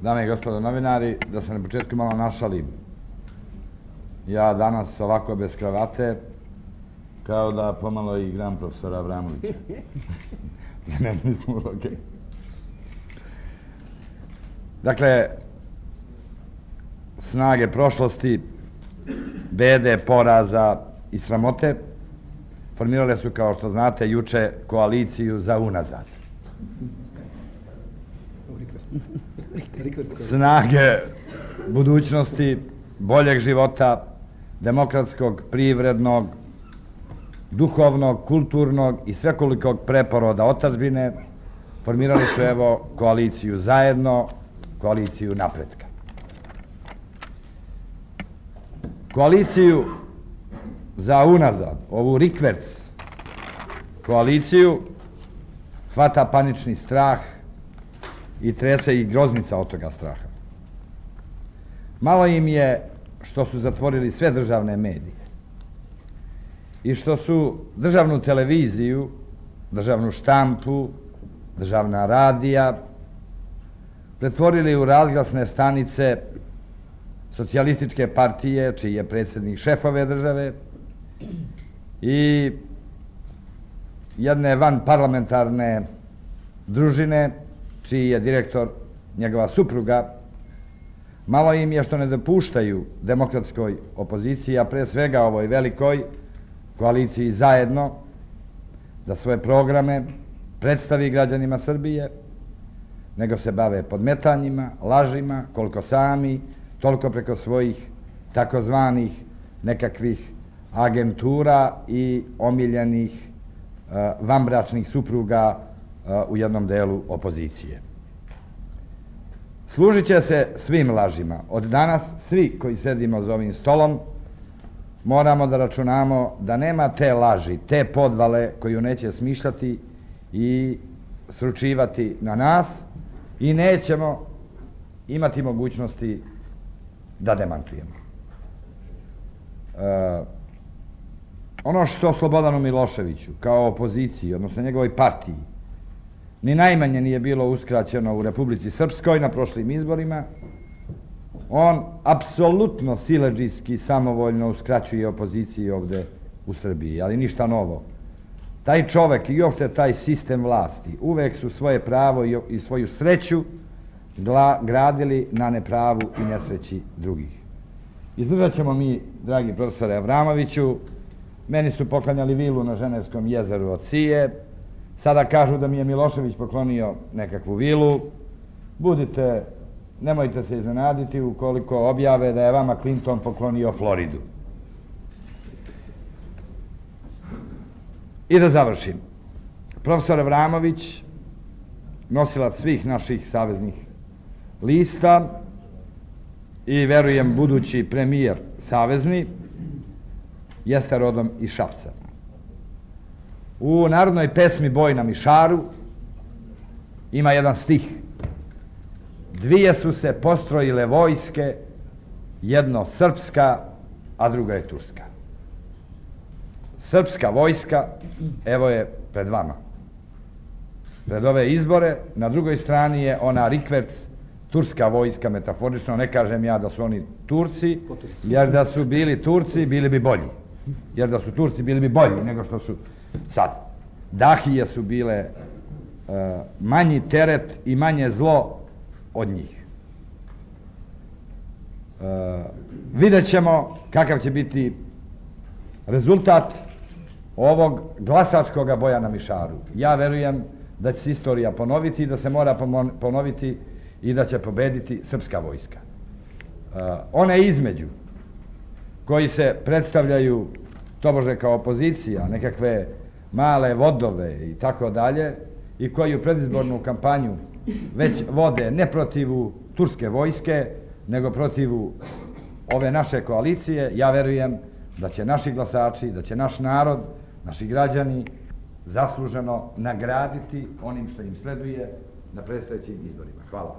Dame i gospodo novinari, da se na početku malo našalim. Ja danas ovako bez kravate, kao da pomalo igram profesora Avramovića. Zanimljiv smo uloge. Dakle, snage prošlosti, bede, poraza i sramote formirale su, kao što znate, juče koaliciju za unazad. Snage budućnosti, boljeg života, demokratskog, privrednog, duhovnog, kulturnog i svekolikog preporoda otadžbine formirali su, evo, koaliciju zajedno, koaliciju napretka. Koaliciju za unazad, ovu rikverc koaliciju, hvata panični strah i trese i groznica od toga straha. Malo im je što su zatvorili sve državne medije i što su državnu televiziju, državnu štampu, državna radija pretvorili u razglasne stanice socijalističke partije, čiji je predsjednik šef ove države, i jedne vanparlamentarne družine, čiji je direktor njegova supruga. Malo im je što ne dopuštaju demokratskoj opoziciji, a pre svega ovoj velikoj koaliciji zajedno, da svoje programe predstavi građanima Srbije, nego se bave podmetanjima, lažima, koliko sami, toliko preko svojih takozvanih nekakvih agentura i omiljenih vanbračnih supruga u jednom delu opozicije. Služit će se svim lažima. Od danas svi koji sedimo za ovim stolom moramo da računamo da nema te laži, te podvale koju neće smišljati i sručivati na nas i nećemo imati mogućnosti da demantujemo. Ono što Slobodanu Miloševiću kao opoziciji, odnosno njegovoj partiji, ni najmanje nije bilo uskraćeno u Republici Srpskoj na prošlim izborima, on apsolutno siledžijski samovoljno uskraćuje opoziciji ovde u Srbiji, ali ništa novo. Taj čovek i uopšte taj sistem vlasti uvek su svoje pravo i svoju sreću gradili na nepravu i nesreći drugih. Izdržat ćemo mi, dragi profesore Avramoviću. Meni su poklanjali vilu na Ženevskom jezeru od Cije. Sada kažu da mi je Milošević poklonio nekakvu vilu. Budite, nemojte se iznenaditi ukoliko objave da je vama Clinton poklonio Floridu. I da završim. Profesor Avramović, nosilac svih naših saveznih lista i, verujem, budući premijer savezni, jeste rodom iz Šapca. U narodnoj pesmi Boj na Mišaru ima jedan stih: dvije su se postrojile vojske, jedno srpska, a druga je turska. Srpska vojska, evo je pred vama. Pred ove izbore, na drugoj strani je ona rikverc, turska vojska, metaforično. Ne kažem ja da su oni Turci, jer da su bili Turci, bili bi bolji. Jer da su Turci, bili bi bolji nego što su sad. Dahije su bile manji teret i manje zlo od njih. Vidjet ćemo kakav će biti rezultat ovog glasačkog boja na Mišaru. Ja verujem da će se istorija ponoviti i da se mora ponoviti i da će pobediti srpska vojska. One između koji se predstavljaju tobože kao opozicija, nekakve male vodove i tako dalje, i koji u predizbornu kampanju već vode ne protiv turske vojske, nego protiv ove naše koalicije, ja verujem da će naši glasači, da će naš narod, naši građani zasluženo nagraditi onim što im sleduje na predstojećim izborima. Hvala.